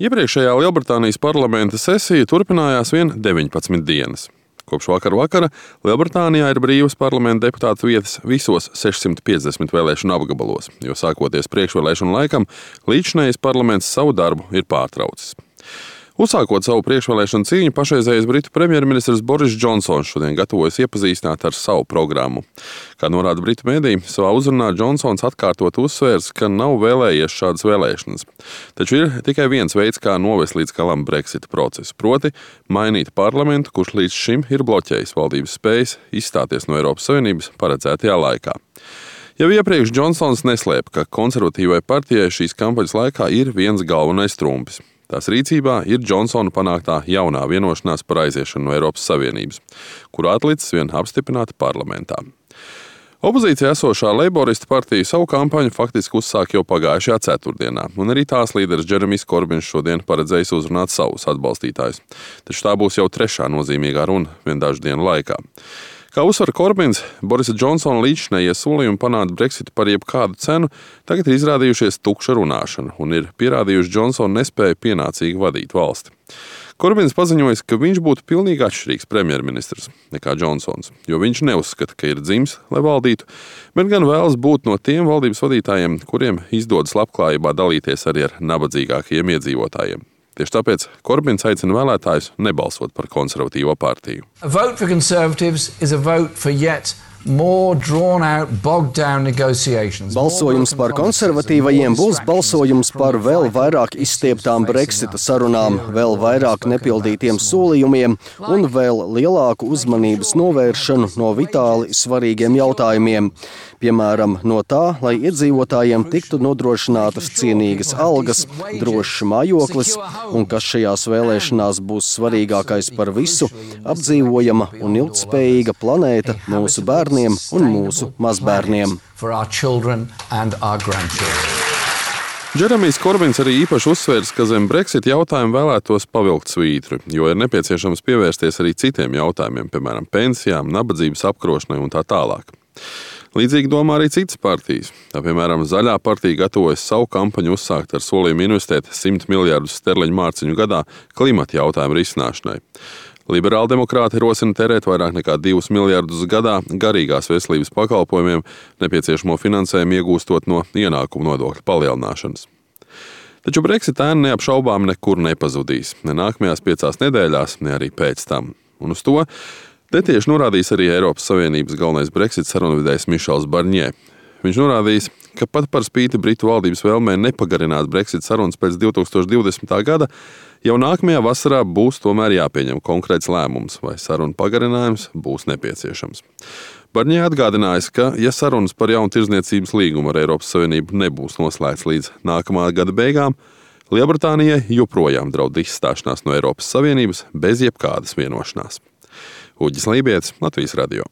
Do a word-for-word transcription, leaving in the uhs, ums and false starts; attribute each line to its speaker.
Speaker 1: Iepriekšējā Lielbritānijas parlamenta sesija turpinājās vien deviņpadsmit dienas. Kopš vakar vakara Lielbritānijā ir brīvas parlamenta deputātu vietas visos sešsimt piecdesmit vēlēšanu apgabalos, jo sākoties priekšvēlēšanu laikam, līdzinējais parlaments savu darbu ir pārtraucis. Uzsākot savu priekšvēlēšanu cīņu, pašreizējais britu premjerministrs Boris Džonsons šodien gatavojas iepazīstināt ar savu programmu. Kā norāda britu mediji, savā uzrunā Džonsons atkārtot uzsvērs, ka nav vēlējies šādas vēlēšanas. Taču ir tikai viens veids, kā novest līdz galam Brexita procesu, proti mainīt parlamentu, kurš līdz šim ir bloķējis valdības spējas izstāties no Eiropas Savienības paredzētajā laikā. Jau iepriekš Džonsons neslēpa, ka konservatīvai partijai šīs kampaņas laikā ir viens galvenais trumpis. Tās rīcībā ir Džonsona panāktā jaunā vienošanās par aiziešanu no Eiropas Savienības, kuru atlicis vien apstiprināta parlamentā. Opozīcijā esošā Leiboristu partija savu kampaņu faktiski uzsāk jau pagājušajā ceturtdienā, un arī tās līderis Džeremijs Korbins šodien paredzējis uzrunāt savus atbalstītājus. Taču tā būs jau trešā nozīmīgā runa vien dažu dienu laikā. Kā uzsver Korbins, Borisa Džonsona līdzinējie solījumi panākt Brexitu par jebkādu cenu tagad ir izrādījušies tukša runāšana un ir pierādījuši Džonsona nespēju pienācīgi vadīt valsti. Korbins paziņojis, ka viņš būtu pilnīgi atšķirīgs premjerministrs nekā Džonsons, jo viņš neuzskata, ka ir dzimis, lai valdītu, bet gan vēlas būt no tiem valdības vadītājiem, kuriem izdodas labklājībā dalīties arī ar nabadzīgākajiem iedzīvotājiem. Tieši tāpēc Korbins aicina vēlētājus nebalsot par konservatīvo partiju.
Speaker 2: A vote for Conservatives is a vote for yet more drawn out, bogged down negotiations.
Speaker 3: Balsojums par konservatīvajiem būs balsojums par vēl vairāk izstieptām Brexita sarunām, vēl vairāk nepildītiem solījumiem un vēl lielāku uzmanības novēršanu no vitāli svarīgiem jautājumiem. Piemēram, no tā, lai iedzīvotājiem tiktu nodrošinātas cienīgas algas, drošs mājoklis un, kas šajās vēlēšanās būs svarīgākais par visu, apdzīvojama un ilgtspējīga planēta mūsu bērniem un mūsu mazbērniem.
Speaker 1: Džeremijs Korbins arī īpaši uzsvērs, ka zem Brexit jautājumu vēlētos pavilkt svītru, jo ir nepieciešams pievērsties arī citiem jautājumiem, piemēram, pensijām, nabadzības apkarošanai un tā tālāk. Līdzīgi domā arī citas partijas. Tā, piemēram, Zaļā partija gatavojas savu kampaņu uzsākt ar solījumu investēt simt miljardus sterliņu mārciņu gadā klimata jautājumu risināšanai. Liberāli demokrāti rosina tērēt vairāk nekā divus miljardus gadā garīgās veselības pakalpojumiem, nepieciešamo finansējumu iegūstot no ienākumu nodokļu palielināšanas. Taču Brexit ēna neapšaubām nekur nepazudīs, ne nākamajās piecās nedēļās, ne arī pēc tam. Un uz to te tieši norādījis arī Eiropas Savienības galvenais Brexit sarunvedējs Mišels Barņē. Viņš norādījis, ka pat par spīti Britu valdības vēlmē nepagarināt Brexit sarunas pēc divi tūkstoši divdesmitā gada, jau nākamajā vasarā būs tomēr jāpieņem konkrēts lēmums, vai sarunu pagarinājums būs nepieciešams. Barņē atgādinājis, ka, ja sarunas par jaunu tirdzniecības līgumu ar Eiropas Savienību nebūs noslēgts līdz nākamā gada beigām, Lielbritānijai joprojām draud izstāšanās no Eiropas Savienības bez jebkādas vienošanās. Uģis Lībietis, Latvijas radio.